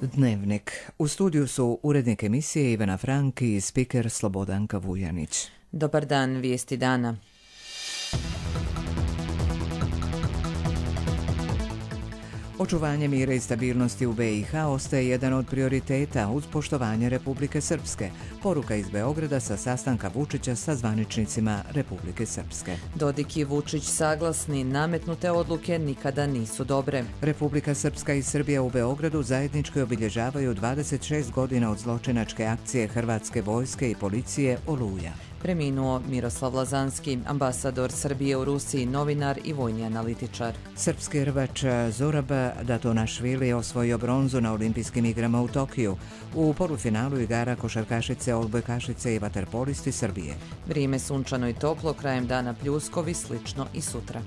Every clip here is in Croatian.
Dnevnik. U studiju su urednik emisije Ivana Frank i spiker Slobodanka Vujanić. Dobar dan, vijesti dana. Očuvanje mira i stabilnosti u BiH ostaje jedan od prioriteta uz poštovanje Republike Srpske. Poruka iz Beograda sa sastanka Vučića sa zvaničnicima Republike Srpske. Dodik i Vučić saglasni, nametnute odluke nikada nisu dobre. Republika Srpska i Srbija u Beogradu zajednički obilježavaju 26 godina od zločinačke akcije Hrvatske vojske i policije Oluja. Preminuo Miroslav Lazanski, ambasador Srbije u Rusiji, novinar i vojni analitičar. Srpski rvač Zorab Datonašvili osvojio bronzu na olimpijskim igrama u Tokiju. U polufinalu igara košarkašice, odbojkašice i vaterpolisti Srbije. Vrijeme sunčano i toplo, krajem dana pljuskovi, slično i sutra.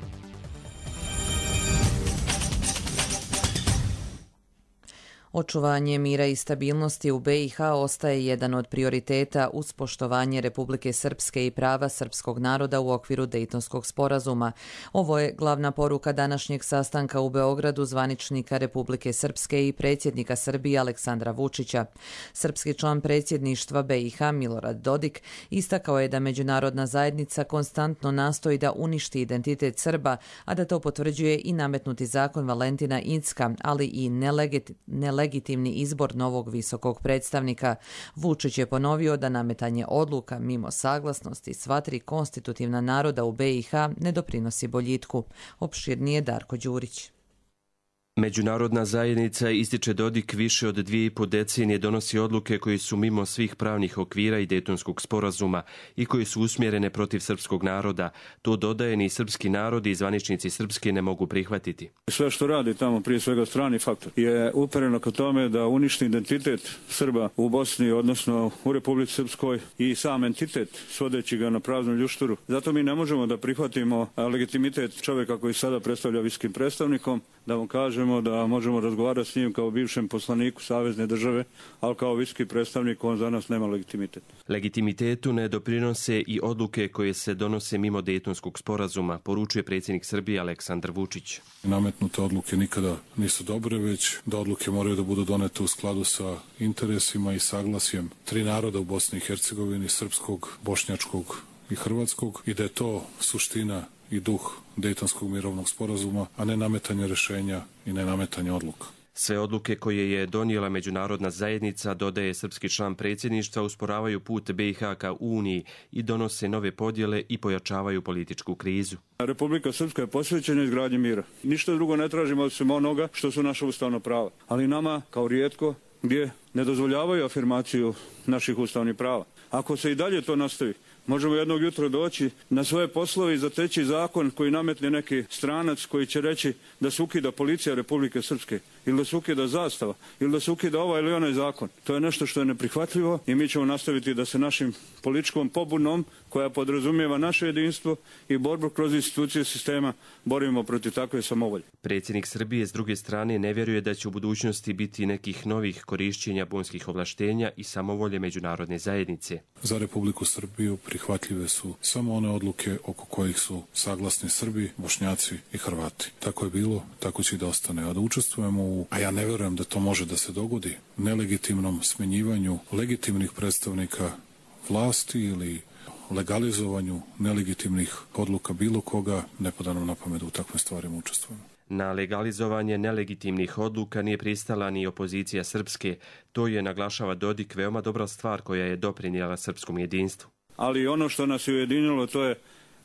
Očuvanje mira i stabilnosti u BiH ostaje jedan od prioriteta uz poštovanje Republike Srpske i prava srpskog naroda u okviru Dejtonskog sporazuma. Ovo je glavna poruka današnjeg sastanka u Beogradu zvaničnika Republike Srpske i predsjednika Srbije Aleksandra Vučića. Srpski član predsjedništva BiH Milorad Dodik istakao je da međunarodna zajednica konstantno nastoji da uništi identitet Srba, a da to potvrđuje i nametnuti zakon Valentina Incka, ali i nelegitimni izbor novog visokog predstavnika. Vučić je ponovio da nametanje odluka mimo saglasnosti sva tri konstitutivna naroda u BiH ne doprinosi boljitku. Opširnije Darko Đurić. Međunarodna zajednica, ističe Dodik, više od 2,5 decenije donosi odluke koje su mimo svih pravnih okvira i Dejtonskog sporazuma i koje su usmjerene protiv srpskog naroda. To dodaje ni srpski narod i zvaničnici Srpske ne mogu prihvatiti. Sve što radi tamo, prije svega strani faktor, je upereno ka tome da uništi identitet Srba u Bosni, odnosno u Republici Srpskoj i sam entitet, svodeći ga na praznu ljušturu. Zato mi ne možemo da prihvatimo legitimitet čovjeka koji sada predstavlja visokim predstavnikom, da mu kažemo da možemo razgovarati s njim kao bivšem poslaniku savezne države, ali kao visoki predstavnik on za nas nema legitimitet. Legitimitetu ne doprinose i odluke koje se donose mimo Dejtonskog sporazuma, poručuje predsjednik Srbije Aleksandar Vučić. Nametnute odluke nikada nisu dobre, već da odluke moraju da budu donete u skladu sa interesima i saglasjem tri naroda u Bosni i Hercegovini, srpskog, bošnjačkog i hrvatskog, i da je to suština i duh Dejtonskog mirovnog sporazuma, a ne nametanje rješenja i ne nametanje odluka. Sve odluke koje je donijela međunarodna zajednica, dodaje srpski član predsjedništva, usporavaju put BiH ka Uniji i donose nove podjele i pojačavaju političku krizu. Republika Srpska je posvećena izgradnji mira. Ništa drugo ne tražimo osim onoga što su naša ustavna prava. Ali nama, kao rijetko, gdje ne dozvoljavaju afirmaciju naših ustavnih prava. Ako se i dalje to nastavi, možemo jednog jutra doći na svoje poslove i zateći zakon koji nametne neki stranac koji će reći da se ukida policija Republike Srpske ili da se ukida zastava ili da se ukida ovaj ili onaj zakon. To je nešto što je neprihvatljivo i mi ćemo nastaviti da se našim političkom pobunom koja podrazumijeva naše jedinstvo i borbu kroz institucije sistema borimo protiv takve samovolje. Predsjednik Srbije s druge strane ne vjeruje da će u budućnosti biti nekih novih korišćenja bonskih ovlaštenja i samovolje međunarodne zajednice. Za Republiku Srbiju prihvatljive su samo one odluke oko kojih su saglasni Srbi, Bošnjaci i Hrvati. Tako je bilo, tako će i da ostane. A da učestvujemo a ja ne vjerujem da to može da se dogodi, nelegitimnom smjenjivanju legitimnih predstavnika vlasti ili legalizovanju nelegitimnih odluka bilo koga, ne pada nam na pamet da u takvim stvarima učestvujemo. Na legalizovanje nelegitimnih odluka nije pristala ni opozicija Srpske. To je, naglašava Dodik, veoma dobra stvar koja je doprinijela srpskom jedinstvu. Ali ono što nas je ujedinilo, to je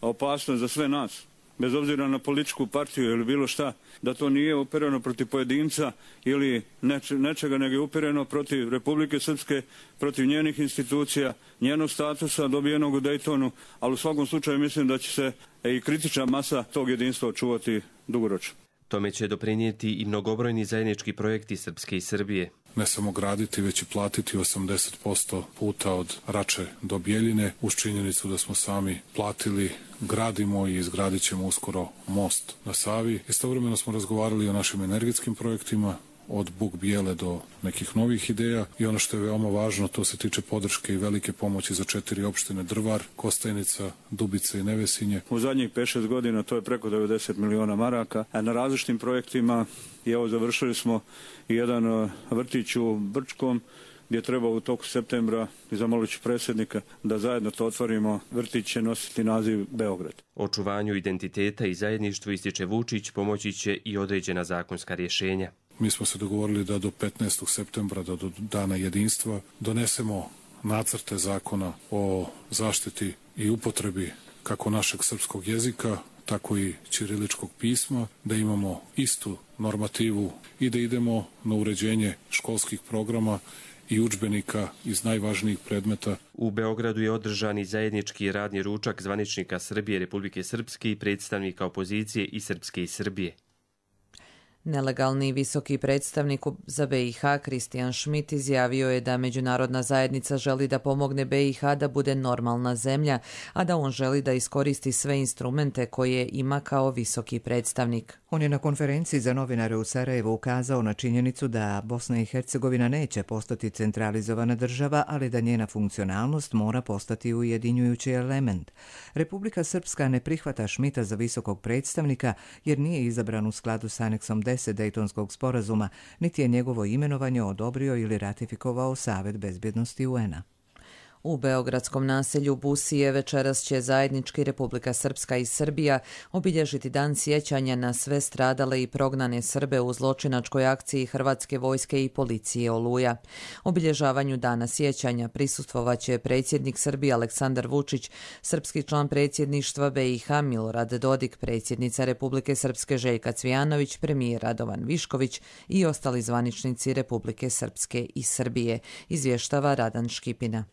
opasnost za sve nas. Bez obzira na političku partiju ili bilo šta, da to nije upereno protiv pojedinca ili nečega, nego je upereno protiv Republike Srpske, protiv njenih institucija, njenog statusa dobijenog u Dejtonu, ali u svakom slučaju mislim da će se i kritična masa tog jedinstva očuvati dugoročno. Tome će doprinijeti i mnogobrojni zajednički projekti Srpske i Srbije. Ne samo graditi, već i platiti 80% puta od Rače do Bjeljine, uz činjenicu da smo sami platili, gradimo i izgradit ćemo uskoro most na Savi. Istovremeno smo razgovarali o našim energetskim projektima, od Buk Bijele do nekih novih ideja i ono što je veoma važno, to se tiče podrške i velike pomoći za 4 opštine Drvar, Kostajnica, Dubica i Nevesinje. U zadnjih 5-6 godina to je preko 90 miliona maraka, a na različitim projektima i evo završili smo jedan vrtić u Brčkom gdje treba u toku septembra i zamolit ću predsjednika da zajedno to otvorimo. Vrtić će nositi naziv Beograd. Očuvanju identiteta i zajedništvu, ističe Vučić, pomoći će i određena zakonska rješenja. Mi smo se dogovorili da do 15. septembra, do Dana jedinstva, donesemo nacrte zakona o zaštiti i upotrebi kako našeg srpskog jezika, tako i ćiriličkog pisma, da imamo istu normativu i da idemo na uređenje školskih programa i udžbenika iz najvažnijih predmeta. U Beogradu je održan i zajednički radni ručak zvaničnika Srbije, Republike Srpske i predstavnika opozicije i Srpske i Srbije. Nelegalni visoki predstavnik za BiH Kristijan Schmidt izjavio je da međunarodna zajednica želi da pomogne BiH da bude normalna zemlja, a da on želi da iskoristi sve instrumente koje ima kao visoki predstavnik. On je na konferenciji za novinare u Sarajevu ukazao na činjenicu da Bosna i Hercegovina neće postati centralizovana država, ali da njena funkcionalnost mora postati ujedinjujući element. Republika Srpska ne prihvata Schmidta za visokog predstavnika jer nije izabran u skladu s aneksom 10 Dejtonskog sporazuma, niti je njegovo imenovanje odobrio ili ratifikovao Savet bezbjednosti UN-a. U beogradskom naselju Busije večeras će zajednički Republika Srpska i Srbija obilježiti dan sjećanja na sve stradale i prognane Srbe u zločinačkoj akciji Hrvatske vojske i policije Oluja. Obilježavanju dana sjećanja prisustvovaće predsjednik Srbije Aleksandar Vučić, srpski član predsjedništva BiH Milorad Dodik, predsjednica Republike Srpske Željka Cvijanović, premijer Radovan Višković i ostali zvaničnici Republike Srpske i Srbije, izvještava Radan Škipina.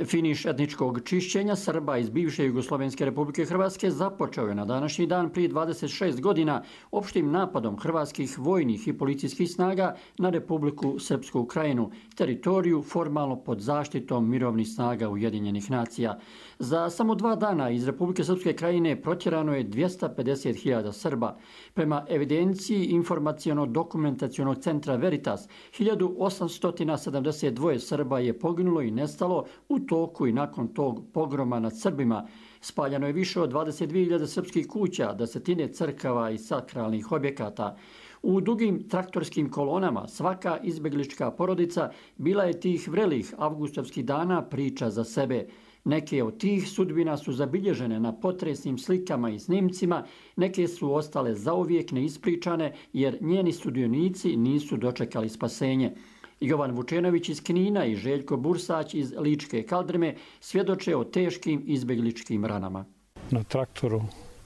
Finiš etničkog čišćenja Srba iz bivše Jugoslovenske Republike Hrvatske započeo je na današnji dan prije 26 godina opštim napadom hrvatskih vojnih i policijskih snaga na Republiku Srpsku Krajinu, teritoriju formalno pod zaštitom mirovnih snaga Ujedinjenih nacija. Za samo 2 dana iz Republike Srpske Krajine protjerano je 250.000 Srba. Prema evidenciji informaciono-dokumentacionog centra Veritas, 1872 Srba je poginulo i nestalo u toku i nakon tog pogroma nad Srbima. Spaljano je više od 22.000 srpskih kuća, desetine crkava i sakralnih objekata. U dugim traktorskim kolonama svaka izbjeglička porodica bila je tih vrelih avgustovskih dana priča za sebe. Neke od tih sudbina su zabilježene na potresnim slikama i snimcima, neke su ostale zauvijek neispričane jer njeni sudionici nisu dočekali spasenje. Jovan Vučenović iz Knina i Željko Bursać iz Ličke Kaldrme svjedoče o teškim izbjegličkim ranama. Na traktoru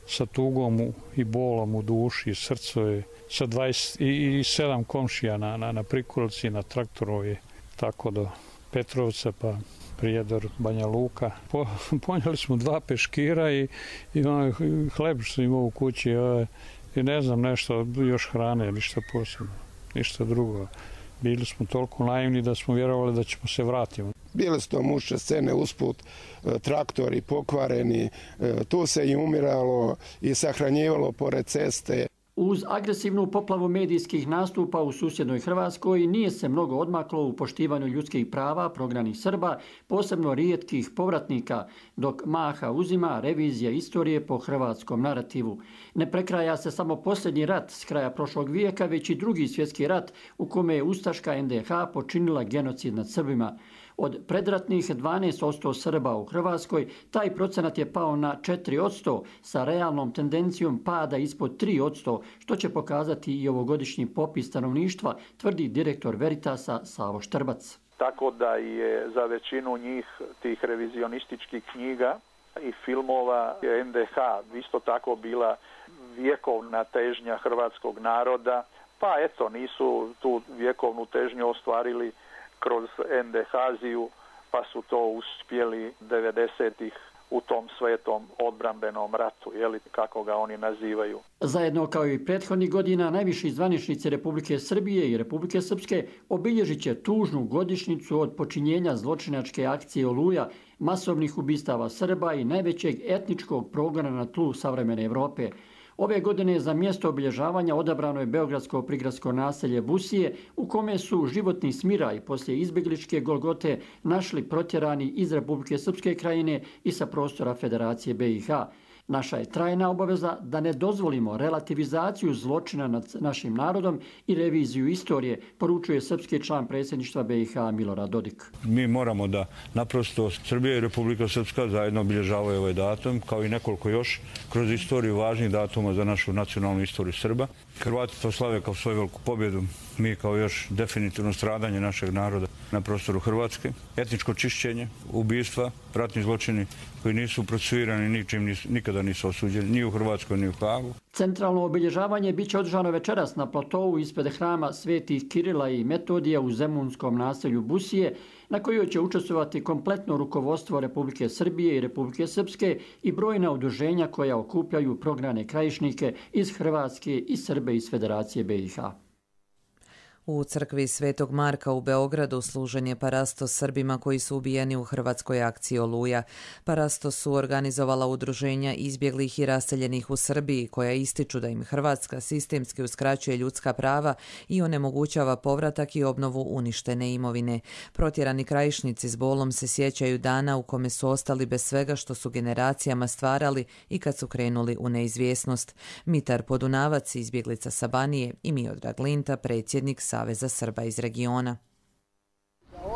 sa tugom i bolom u duši, srcu je sa 27 komšija na prikolici na traktoru je tako do Petrovca pa Prijedor, Banja Luka. Ponijeli smo 2 peškira i hleb što imao u kući i ne znam nešto, još hrane, ništa posebno, ništa drugo. Bili smo toliko naivni da smo vjerovali da ćemo se vratiti. Bile su to mučne scene usput, traktori pokvareni, tu se i umiralo i sahranjivalo pored ceste. Uz agresivnu poplavu medijskih nastupa u susjednoj Hrvatskoj nije se mnogo odmaklo u poštivanju ljudskih prava prognanih Srba, posebno rijetkih povratnika, dok maha uzima revizija istorije po hrvatskom narativu. Ne prekraja se samo posljednji rat s kraja prošlog vijeka, već i drugi svjetski rat u kome je ustaška NDH počinila genocid nad Srbima. Od predratnih 12% Srba u Hrvatskoj, taj procenat je pao na 4%, sa realnom tendencijom pada ispod 3%, što će pokazati i ovogodišnji popis stanovništva, tvrdi direktor Veritasa Savo Štrbac. Tako da je za većinu njih tih revizionističkih knjiga i filmova NDH isto tako bila vjekovna težnja hrvatskog naroda, pa eto nisu tu vjekovnu težnju ostvarili kroz NDH-ziju, pa su to uspjeli 90-ih u tom svetom odbrambenom ratu, kako ga oni nazivaju. Zajedno kao i prethodnih godina, najviši zvaničnici Republike Srbije i Republike Srpske obilježit će tužnu godišnjicu od počinjenja zločinačke akcije Oluja, masovnih ubistava Srba i najvećeg etničkog progona na tlu savremene Evrope. Ove godine za mjesto obilježavanja odabrano je beogradsko prigradsko naselje Busije, u kome su životni smiraj poslije izbjegličke Golgote našli protjerani iz Republike Srpske krajine i sa prostora Federacije BiH. Naša je trajna obaveza da ne dozvolimo relativizaciju zločina nad našim narodom i reviziju istorije, poručuje srpski član predsjedništva BiH Milorad Dodik. Mi moramo da naprosto Srbija i Republika Srpska zajedno obilježavaju ovaj datum, kao i nekoliko još kroz istoriju važnih datuma za našu nacionalnu istoriju Srba. Hrvati to slave kao svoju veliku pobjedu, mi kao još definitivno stradanje našeg naroda na prostoru Hrvatske, etničko čišćenje, ubistva, ratni zločini koji nisu procesuirani, ničim nikada nisu osuđeni, ni u Hrvatskoj, ni u Hagu. Centralno obilježavanje biće održano večeras na platovu ispred hrama Svetih Kirila i Metodija u zemunskom naselju Busije, na kojoj će učestvovati kompletno rukovodstvo Republike Srbije i Republike Srpske i brojna udruženja koja okupljaju prognane krajišnike iz Hrvatske i Srbe iz Federacije BiH. U crkvi Svetog Marka u Beogradu služen je parastos Srbima koji su ubijeni u hrvatskoj akciji Oluja. Parastos su organizovala udruženja izbjeglih i raseljenih u Srbiji, koja ističu da im Hrvatska sistemski uskraćuje ljudska prava i onemogućava povratak i obnovu uništene imovine. Protjerani krajišnici s bolom se sjećaju dana u kome su ostali bez svega što su generacijama stvarali i kad su krenuli u neizvjesnost. Mitar Podunavac, izbjeglica sa Banije, i Miodrag Linta, predsjednik Saveza Srba iz regiona.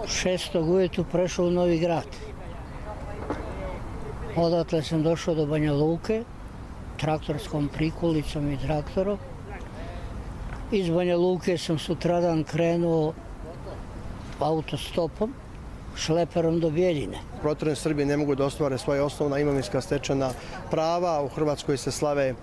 6. ujutru prešao u Novi Grad. Odatle sam došao do Banja Luke, traktorskom prikulicom i traktorom. Iz Banja Luke sam sutradan krenuo autostopom, šleperom do Bjeljine. Protjerani Srbi ne mogu da ostvare svoje osnovna imovinska stečena prava. U Hrvatskoj se slave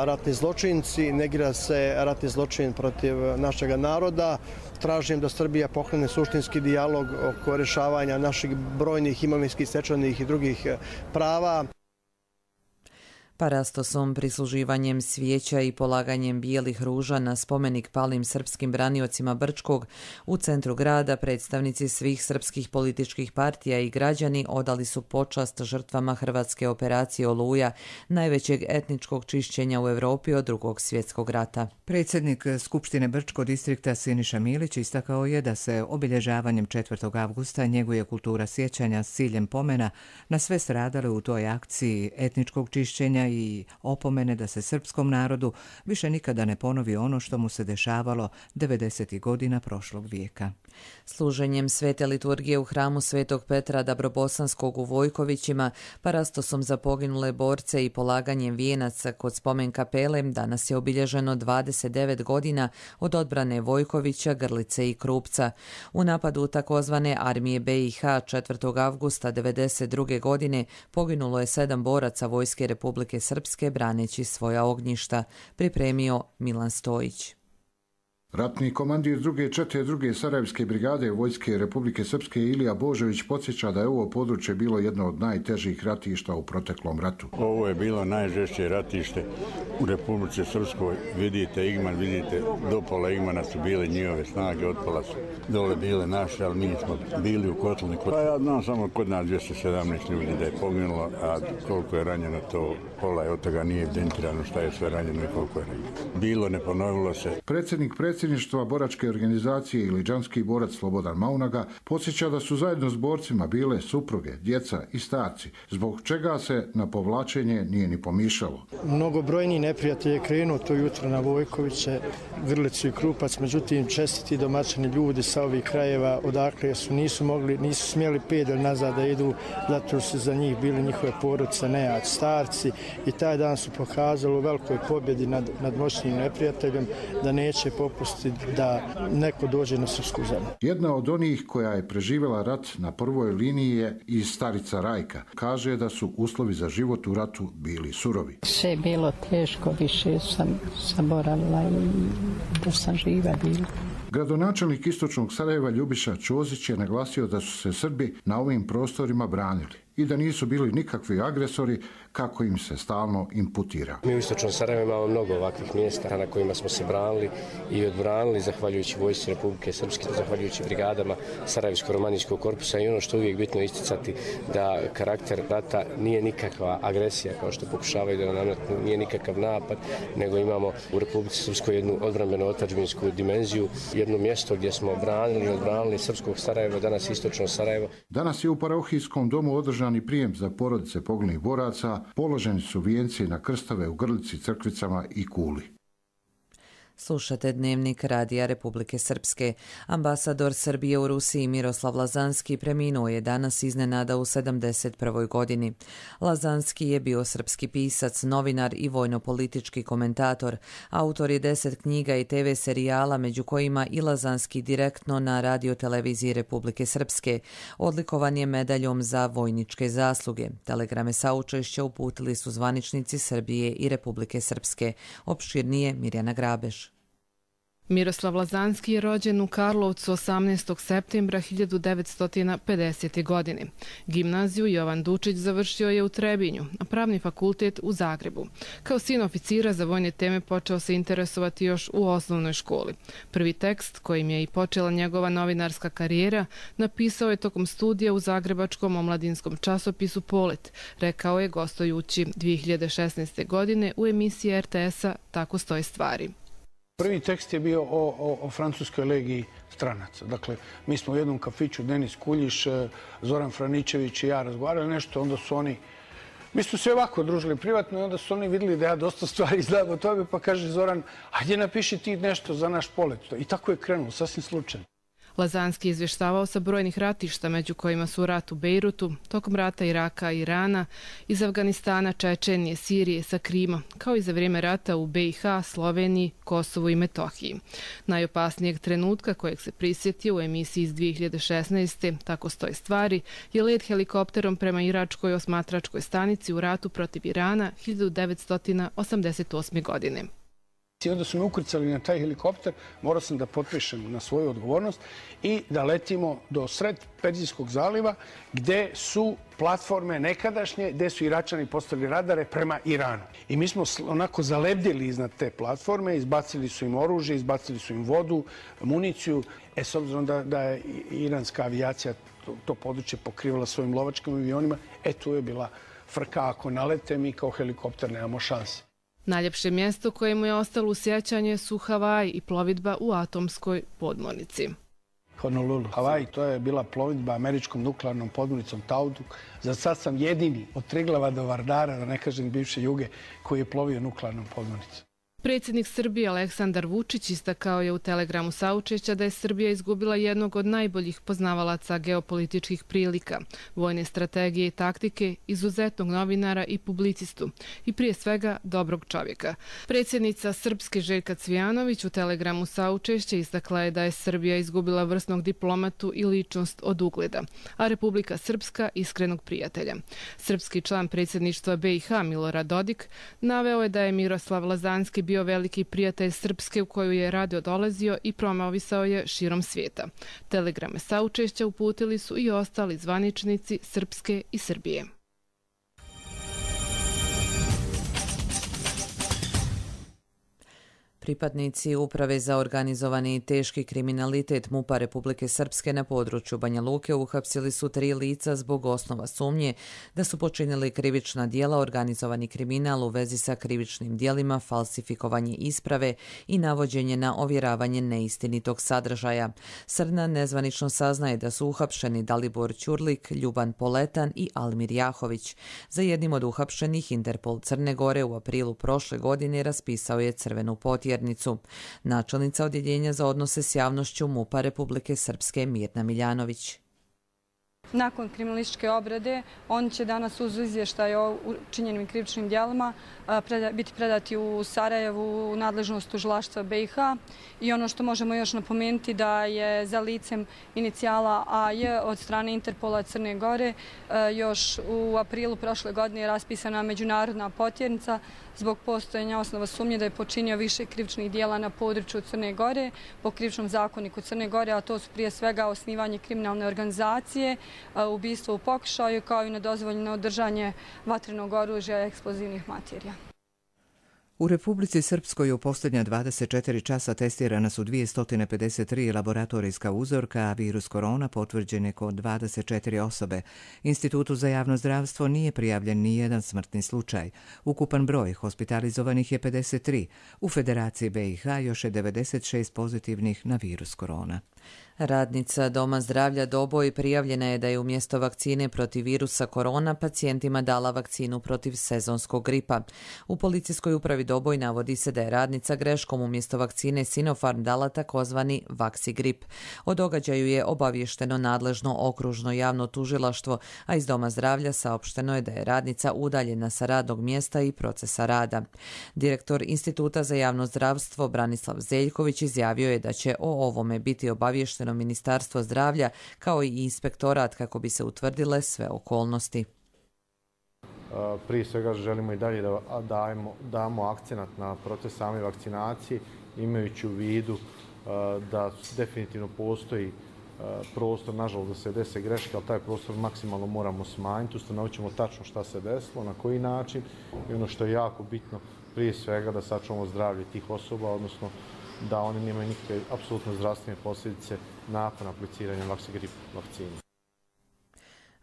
ratni zločinci, negira se ratni zločin protiv našeg naroda. Tražim da Srbija pokrene suštinski dijalog oko rješavanja naših brojnih imovinskih stečenih i drugih prava. Parastosom, prisluživanjem svijeća i polaganjem bijelih ruža na spomenik palim srpskim braniocima Brčkog u centru grada predstavnici svih srpskih političkih partija i građani odali su počast žrtvama hrvatske operacije Oluja, najvećeg etničkog čišćenja u Europi od Drugog svjetskog rata. Predsjednik Skupštine Brčko distrikta Siniša Milić istakao je da se obilježavanjem 4. avgusta njeguje kultura sjećanja s ciljem pomena na sve stradale u toj akciji etničkog čišćenja i opomene da se srpskom narodu više nikada ne ponovi ono što mu se dešavalo 90. godina prošlog vijeka. Služenjem svete liturgije u hramu Svetog Petra Dabrobosanskog u Vojkovićima, parastosom za poginule borce i polaganjem vijenaca kod spomen kapele danas je obilježeno 29 godina od odbrane Vojkovića, Grlice i Krupca. U napadu takozvane armije BiH 4. avgusta 1992. godine poginulo je 7 boraca Vojske Republike Srpske braneći svoja ognjišta, pripremio Milan Stojić. Ratni komandir druge čete druge Sarajevske brigade Vojske Republike Srpske Ilija Božović podsjeća da je ovo područje bilo jedno od najtežih ratišta u proteklom ratu. Ovo je bilo najžešće ratište u Republike Srpskoj. Vidite Igman, vidite do pola Igmana su bile njihove snage, od pola su dole bile naše, ali mi smo bili u Kotlniku. Pa ja znam samo kod nas 217 ljudi da je poginulo, a koliko je ranjeno to pola je od toga nije evidentirano šta je sve ranjeno i koliko je ranjeno. Bilo, ne ponovilo se. Predsjedništva boračke organizacije Iliđanski borac Slobodan Maunaga podsjeća da su zajedno s borcima bile supruge, djeca i starci, zbog čega se na povlačenje nije ni pomišljalo. Mnogobrojni neprijatelj je krenuo to jutro na Vojkoviće, Grlicu i Krupac, međutim čestiti domaćini ljudi sa ovih krajeva odakle nisu smjeli pedalj nazad da idu, zato su za njih bili njihove porodice, nejač, starci, i taj dan su pokazali u velikoj pobjedi nad moćnim neprijateljem da neće popustiti da neko dođe na srpsku zemlju. Jedna od onih koja je preživjela rat na prvoj liniji je i starica Rajka. Kaže da su uslovi za život u ratu bili surovi. Sve je bilo teško, više sam zaboravila i da sam živa bila. Gradonačelnik istočnog Sarajeva Ljubiša Ćozić je naglasio da su se Srbi na ovim prostorima branili. i da nisu bili nikakvi agresori kako im se stalno imputira. Mi u istočnom Sarajevu imamo mnogo ovakvih mjesta na kojima smo se branili i odbranili zahvaljujući vojsci Republike Srpske, zahvaljujući brigadama Sarajevsko-romanijskog korpusa i ono što uvijek bitno isticati da karakter rata nije nikakva agresija kao što pokušavaju da nam nametnu, nije nikakav napad, nego imamo u Republici Srpskoj jednu odbrambeno otadžbinsku dimenziju, jedno mjesto gdje smo odbranili srpskog Sarajeva, danas istočno Sarajevo. Danas je u parohijskom domu održani prijem za porodice poginulih boraca, položeni su vijenci na krstove u Grlici, Crkvicama i Kuli. Slušate Dnevnik Radija Republike Srpske. Ambasador Srbije u Rusiji Miroslav Lazanski preminuo je danas iznenada u 71. godini. Lazanski je bio srpski pisac, novinar i vojno-politički komentator. Autor je 10 knjiga i TV serijala, među kojima i Lazanski direktno na radioteleviziji Republike Srpske. Odlikovan je medaljom za vojničke zasluge. Telegrame saučešća uputili su zvaničnici Srbije i Republike Srpske. Opširnije Mirjana Grabeš. Miroslav Lazanski je rođen u Karlovcu 18. septembra 1950. godine. Gimnaziju Jovan Dučić završio je u Trebinju, a pravni fakultet u Zagrebu. Kao sin oficira za vojne teme počeo se interesovati još u osnovnoj školi. Prvi tekst, kojim je i počela njegova novinarska karijera, napisao je tokom studija u zagrebačkom omladinskom časopisu Polet, rekao je gostujući 2016. godine u emisiji RTS-a Tako stoje stvari. Prvi tekst je bio o francuskoj legiji stranaca. Dakle, mi smo u jednom kafiću, Denis Kuljiš, Zoran Franičević i ja razgovarali nešto, onda su oni, mi smo se ovako družili privatno i onda su oni vidjeli da ja dosta stvari znam o tome, pa kaže Zoran, ajde napiši ti nešto za naš Polet. I tako je krenulo, sasvim slučajno. Lazanski je izvještavao sa brojnih ratišta, među kojima su rat u Bejrutu, tokom rata Iraka i Irana, iz Afganistana, Čečenije, Sirije, sa Krima, kao i za vrijeme rata u BiH, Sloveniji, Kosovu i Metohiji. Najopasnijeg trenutka kojeg se prisjetio u emisiji iz 2016. Tako stoje stvari, je let helikopterom prema iračkoj osmatračkoj stanici u ratu protiv Irana 1988. godine. I onda su me ukrcali na taj helikopter, morao sam da potpišem na svoju odgovornost i da letimo do sred Perzijskog zaliva gdje su platforme nekadašnje, gdje su Iračani postavili radare prema Iranu. I mi smo onako zalebdjeli iznad te platforme, izbacili su im oružje, izbacili su im vodu, municiju. S obzirom da je iranska avijacija to područje pokrivala svojim lovačkim avionima, tu je bila frka, ako nalete mi kao helikopter nemamo šanse. Najljepše mjesto koje mu je ostalo u sjećanje su Havaji i plovidba u atomskoj podmornici. Honolulu. Havaji, to je bila plovidba američkom nuklearnom podmornicom Tauduk. Za sad sam jedini od Triglava do Vardara, da ne kažem bivše Juge, koji je plovio nuklearnom podmornicom. Predsjednik Srbije Aleksandar Vučić istakao je u telegramu saučešća da je Srbija izgubila jednog od najboljih poznavalaca geopolitičkih prilika, vojne strategije i taktike, izuzetnog novinara i publicistu i prije svega dobrog čovjeka. Predsjednica Srpske Željka Cvijanović u telegramu saučešća istakla je da je Srbija izgubila vrsnog diplomatu i ličnost od ugleda, a Republika Srpska iskrenog prijatelja. Srpski član predsjedništva BiH Milorad Dodik naveo je da je Miroslav Lazanski bio veliki prijatelj Srpske u koju je radio dolazio i promovisao je širom svijeta. Telegrame saučešća uputili su i ostali zvaničnici Srpske i Srbije. Pripadnici Uprave za organizovani i teški kriminalitet MUP-a Republike Srpske na području Banja Luke uhapsili su 3 lica zbog osnova sumnje da su počinili krivična djela, organizovani kriminal u vezi sa krivičnim djelima, falsifikovanje isprave i navođenje na ovjeravanje neistinitog sadržaja. Srna nezvanično saznaje da su uhapšeni Dalibor Ćurlik, Ljuban Poletan i Almir Jahović. Za jednim od uhapšenih Interpol Crne Gore u aprilu prošle godine raspisao je crvenu potjernicu. Načelnica odjeljenja za odnose s javnošću MUP-a Republike Srpske Mirna Miljanović. Nakon kriminalističke obrade, oni će danas uz izvještaj o učinjenim krivičnim djelima biti predati u Sarajevu u nadležnost tužilaštva BiH. I ono što možemo još napomenuti da je za licem inicijala AJ od strane Interpola Crne Gore još u aprilu prošle godine raspisana međunarodna potjernica zbog postojanja osnova sumnje da je počinio više krivičnih djela na području Crne Gore po krivičnom zakoniku Crne Gore, a to su prije svega osnivanje kriminalne organizacije, ubistvo u pokušaju, kao i nedozvoljeno držanje vatrenog oružja i eksplozivnih materija. U Republici Srpskoj u posljednja 24 časa testirana su 253 laboratorijska uzorka, a virus korona potvrđen je kod 24 osobe. Institutu za javno zdravstvo nije prijavljen ni jedan smrtni slučaj. Ukupan broj hospitalizovanih je 53. U Federaciji BiH još je 96 pozitivnih na virus korona. Radnica Doma zdravlja Doboj prijavljena je da je umjesto vakcine protiv virusa korona pacijentima dala vakcinu protiv sezonskog gripa. U policijskoj upravi Doboj navodi se da je radnica greškom umjesto vakcine Sinopharm dala takozvani Vaxigrip. O događaju je obavješteno nadležno okružno javno tužilaštvo, a iz Doma zdravlja saopšteno je da je radnica udaljena sa radnog mjesta i procesa rada. Direktor Instituta za javno zdravstvo Branislav Zeljković izjavio je da će o ovome biti obavješteno Ministarstvo zdravlja kao i inspektorat kako bi se utvrdile sve okolnosti. Prije svega želimo i dalje da damo akcenat na proces same vakcinacije, imajući u vidu da definitivno postoji prostor, nažalost, da se dese greške, ali taj prostor maksimalno moramo smanjiti, ustanovit ćemo tačno šta se desilo, na koji način i ono što je jako bitno, prije svega da sačuvamo zdravlje tih osoba, odnosno da oni nemaju nikakve apsolutno zdravstvene posljedice nakon apliciranja Vaxigrip vakcine.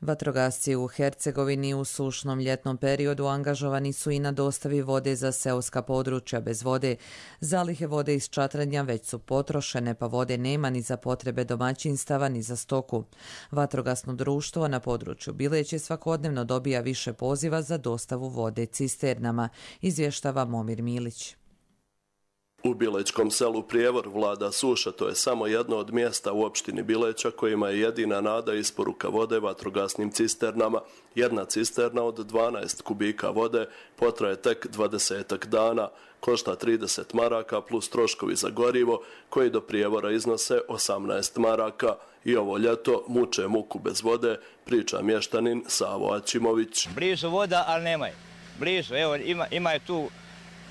Vatrogasci u Hercegovini u sušnom ljetnom periodu angažovani su i na dostavi vode za seoska područja bez vode. Zalihe vode iz Čatranja već su potrošene, pa vode nema ni za potrebe domaćinstava ni za stoku. Vatrogasno društvo na području Bileće svakodnevno dobija više poziva za dostavu vode cisternama, izvještava Momir Milić. U Bilečkom selu Prijevor vlada suša, to je samo jedno od mjesta u opštini Bileća kojima je jedina nada isporuka vode vatrogasnim cisternama. Jedna cisterna od 12 kubika vode potraje tek 20 dana, košta 30 maraka plus troškovi za gorivo koji do Prijevora iznose 18 maraka. I ovo ljeto muče muku bez vode, priča mještanin Savo Ačimović. Blizu voda, ali nemaj. Blizu, evo ima je tu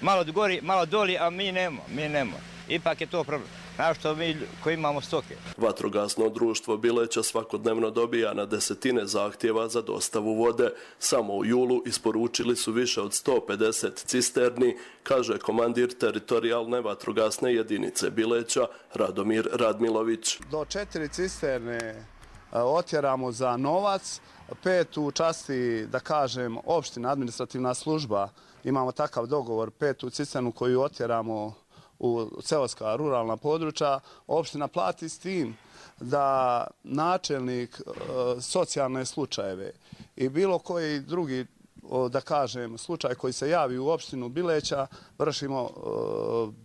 malo gori, malo doli, a mi nemamo. Ipak je to problem. Znaš što mi koji imamo stoke. Vatrogasno društvo Bileća svakodnevno dobija na desetine zahtjeva za dostavu vode. Samo u julu isporučili su više od 150 cisterni, kaže komandir teritorijalne vatrogasne jedinice Bileća Radomir Radmilović. Do 4 cisterne otjeramo za novac, 5 u časti, da kažem, opština, administrativna služba. Imamo takav dogovor, 5 cisternu koju otjeramo u seoska ruralna područja. Opština plati s tim da načelnik socijalne slučajeve i bilo koji drugi, da kažem, slučaj koji se javi u opštinu Bileća, vršimo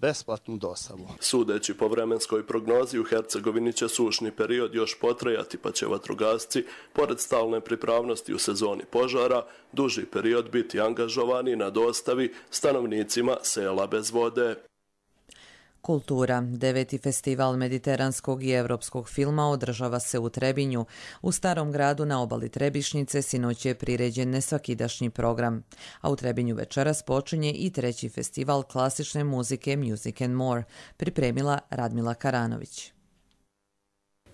besplatnu dostavu. Sudeći po vremenskoj prognozi, u Hercegovini će sušni period još potrajati, pa će vatrogasci, pored stalne pripravnosti u sezoni požara, duži period biti angažovani na dostavi stanovnicima sela bez vode. Kultura. 9. festival mediteranskog i evropskog filma održava se u Trebinju. U Starom gradu na obali Trebišnjice sinoć je priređen nesvakidašnji program. A u Trebinju večeras počinje i 3. festival klasične muzike Music and More, pripremila Radmila Karanović.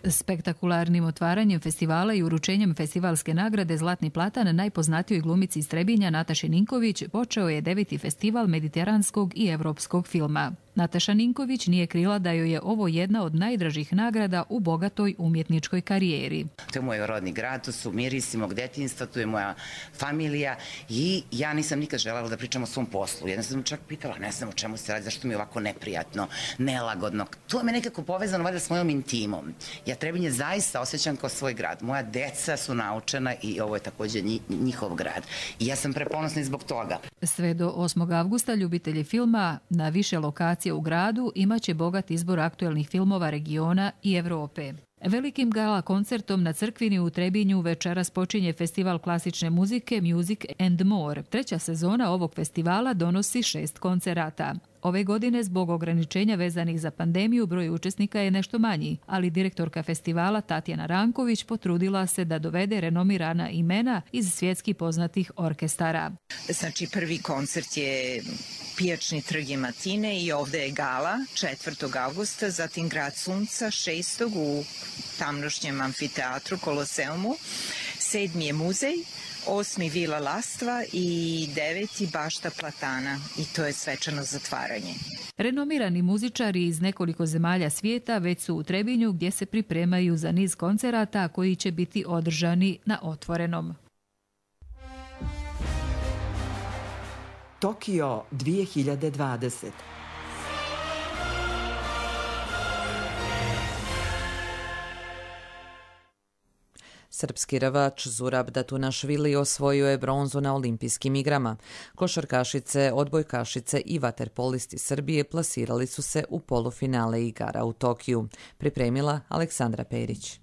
Spektakularnim otvaranjem festivala i uručenjem festivalske nagrade Zlatni platan najpoznatijoj glumici iz Trebinja Nataši Ninković počeo je 9. festival mediteranskog i evropskog filma. Nataša Ninković nije krila da joj je ovo jedna od najdražih nagrada u bogatoj umjetničkoj karijeri. To je moj rodni grad, to su mirisi mog detinjstva, to je moja familija i ja nisam nikad želela da pričam o svom poslu. Jedna sam čak pitala, ne znam o čemu se radi, zašto mi je ovako neprijatno, nelagodno. To me nekako povezano valjda s mojom intimom. Ja Trebinje zaista osjećam kao svoj grad. Moja deca su naučena i ovo je također njihov grad. I ja sam preponosna zbog toga. Sve do 8. avgusta ljubitelji filma na više lokacija u gradu imaće bogat izbor aktuelnih filmova regiona i Evrope. Velikim gala koncertom na Crkvini u Trebinju večeras počinje festival klasične muzike Music and More. 3. sezona ovog festivala donosi 6 koncerata. Ove godine zbog ograničenja vezanih za pandemiju broj učesnika je nešto manji, ali direktorka festivala Tatjana Ranković potrudila se da dovede renomirana imena iz svjetski poznatih orkestara. Znači, prvi koncert je Pijačni trg je Matine i ovde je gala 4. augusta, zatim Grad sunca 6. u tamnošnjem amfiteatru Koloseumu, 7. je muzej, 8. Vila Lastva i 9. Bašta Platana i to je svečano zatvaranje. Renomirani muzičari iz nekoliko zemalja svijeta već su u Trebinju gdje se pripremaju za niz koncerata koji će biti održani na otvorenom. Tokio 2020. Srpski rvač Zurab Datunašvili osvojio je bronzu na olimpijskim igrama. Košarkašice, odbojkašice i vaterpolisti Srbije plasirali su se u polufinale igara u Tokiju. Pripremila Aleksandra Perić.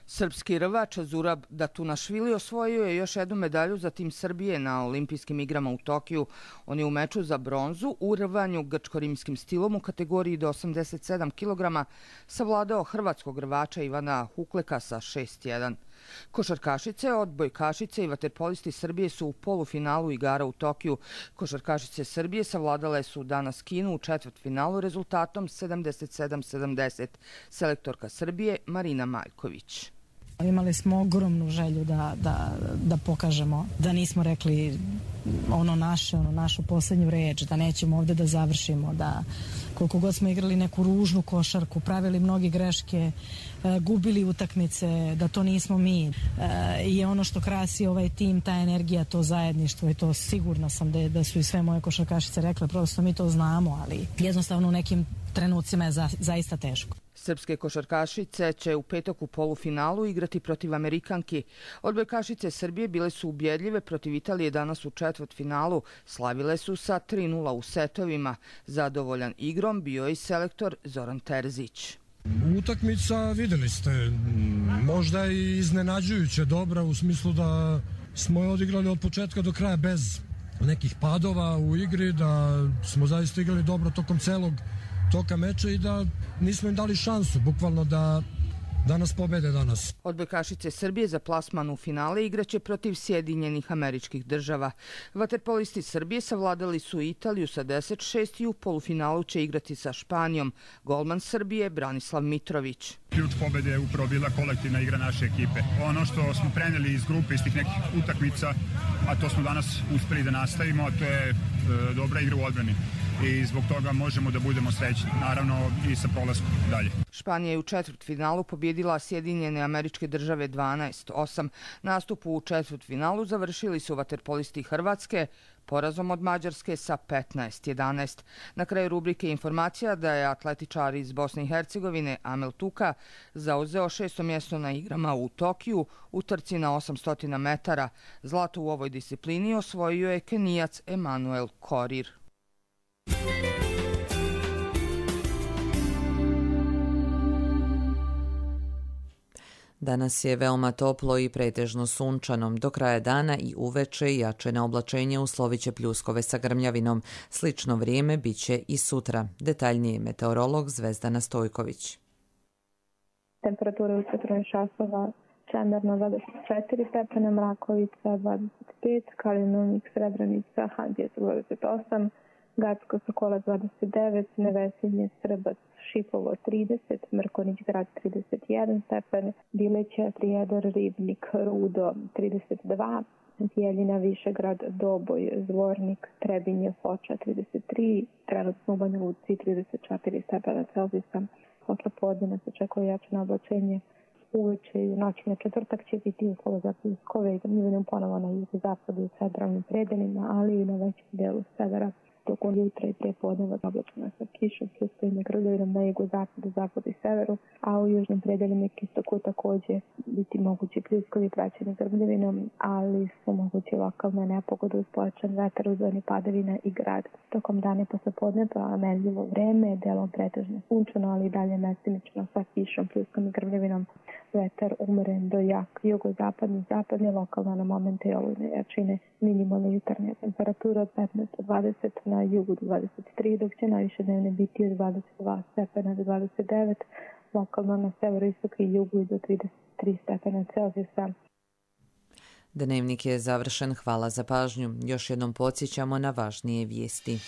Srpski rvač Zurab Datunašvili osvojio je još jednu medalju za tim Srbije na olimpijskim igrama u Tokiju. On je u meču za bronzu u rvanju grčko-rimskim stilom u kategoriji do 87 kg savladao hrvatskog rvača Ivana Hukleka sa 6-1. Košarkašice, odbojkašice i vaterpolisti Srbije su u polufinalu igara u Tokiju. Košarkašice Srbije savladale su danas Kinu u četvrtfinalu rezultatom 77-70. Selektorka Srbije Marina Maljković. Imali smo ogromnu želju da pokažemo, da nismo rekli našu posljednju reč, da nećemo ovdje da završimo, da koliko god smo igrali neku ružnu košarku, pravili mnogi greške, gubili utakmice, da to nismo mi. I ono što krasi ovaj tim, ta energija, to zajedništvo i to sigurna sam da su i sve moje košarkašice rekle, prosto mi to znamo, ali jednostavno u nekim trenucima je zaista teško. Srpske košarkašice će u petak u polufinalu igrati protiv Amerikanki. Odbojkašice Srbije bile su ubjedljive protiv Italije danas u četvrtfinalu. Slavile su sa 3-0 u setovima. Zadovoljan igrom bio je i selektor Zoran Terzić. Utakmica, videli ste, možda i iznenađujuće dobra u smislu da smo je odigrali od početka do kraja bez nekih padova u igri, da smo zaista igrali dobro tokom celog toka meča i da nismo im dali šansu, bukvalno da nas pobede danas. Odbojkašice Srbije za plasman u finale igraće protiv Sjedinjenih Američkih Država. Vaterpolisti Srbije savladali su Italiju sa 10-6 i u polufinalu će igrati sa Španijom. Golman Srbije Branislav Mitrović. Ključ pobede je upravo bila kolektivna igra naše ekipe. Ono što smo preneli iz grupe, iz tih nekih utakmica, a to smo danas uspeli da nastavimo, a to je dobra igra u odbrani. I zbog toga možemo da budemo srećni, naravno i sa prolaskom dalje. Španija je u četvrtfinalu pobjedila Sjedinjene Američke Države 12-8. Nastup u četvrtfinalu završili su vaterpolisti Hrvatske porazom od Mađarske sa 15-11. Na kraju rubrike informacija da je atletičar iz Bosne i Hercegovine Amel Tuka zauzeo 6. mjesto na igrama u Tokiju u trci na 800 metara. Zlato u ovoj disciplini osvojio je Kenijac Emanuel Korir. Danas je veoma toplo i pretežno sunčano. Do kraja dana i uveče jače na oblačenje usloviće pljuskove sa grmljavinom. Slično vrijeme biće i sutra. Detaljnije meteorolog Zvezdana Stojković. Temperatura u centralnih časova Čemerno 24 stepena, Mrakovica 25, Kalinovnik, Srebrenica, Handija 28, Gacko Sokola 29, Nevesinje, Srbac, Šipovo 30, Mrkonić grad 31 stepen, Bileća, Prijedor, Ribnik, Rudo 32, Bijeljina, Višegrad, Doboj, Zvornik, Trebinje, Foča 33, trenutno u Banja Luci 34 stepena Celzijusa. Posle podne se očekuje jače oblačenje. Uveče i u noći na četvrtak će biti uslova za pljuskove i grmljavinu ponovo na jugozapadu i centralnim predelima, ali i na većem delu severa. Tokom jutra i prije podneva oblačeno sa kišom, pljuskovima i grmljavinom na jugozapadu, zapadu i severu, a u južnim predelima i istoku također biti mogući pljuskovi praćeni grmljavinom, ali su mogući lokalne nepogode uz pojačan vetar u zoni padavina i grad. Tokom dana posle podneva merljivo vreme, delom pretežno sunčano, ali i dalje mestimično sa kišom, pljuskom i grmljavinom. vetar umeren do jak jugozapadni, lokalno na momente olujne jačine, minimalna jutarnja temperatura od 15 do 20, na jugu do 23, dok će najviše dnevne biti od 22 stepena do 29, lokalno na severoistoku i jugu i do 33 stepena Celzijusa. Dnevnik je završen, hvala za pažnju. Još jednom podsjećamo na važnije vijesti.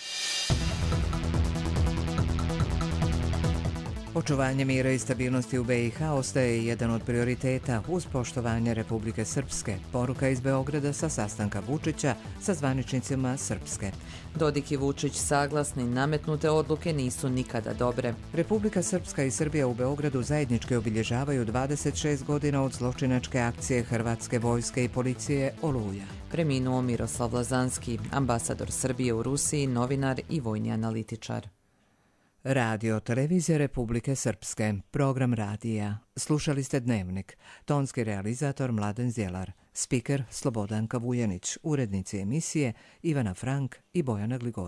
Očuvanje mira i stabilnosti u BiH ostaje jedan od prioriteta uz poštovanje Republike Srpske. Poruka iz Beograda sa sastanka Vučića sa zvaničnicima Srpske. Dodik i Vučić saglasni, nametnute odluke nisu nikada dobre. Republika Srpska i Srbija u Beogradu zajednički obilježavaju 26 godina od zločinačke akcije Hrvatske vojske i policije Oluja. Preminuo Miroslav Lazanski, ambasador Srbije u Rusiji, novinar i vojni analitičar. Radio Televizija Republike Srpske, program radija. Slušali ste Dnevnik. Tonski realizator Mladen Zjelar, spiker Slobodanka Vujanić, urednici emisije Ivana Frank i Bojana Gligore.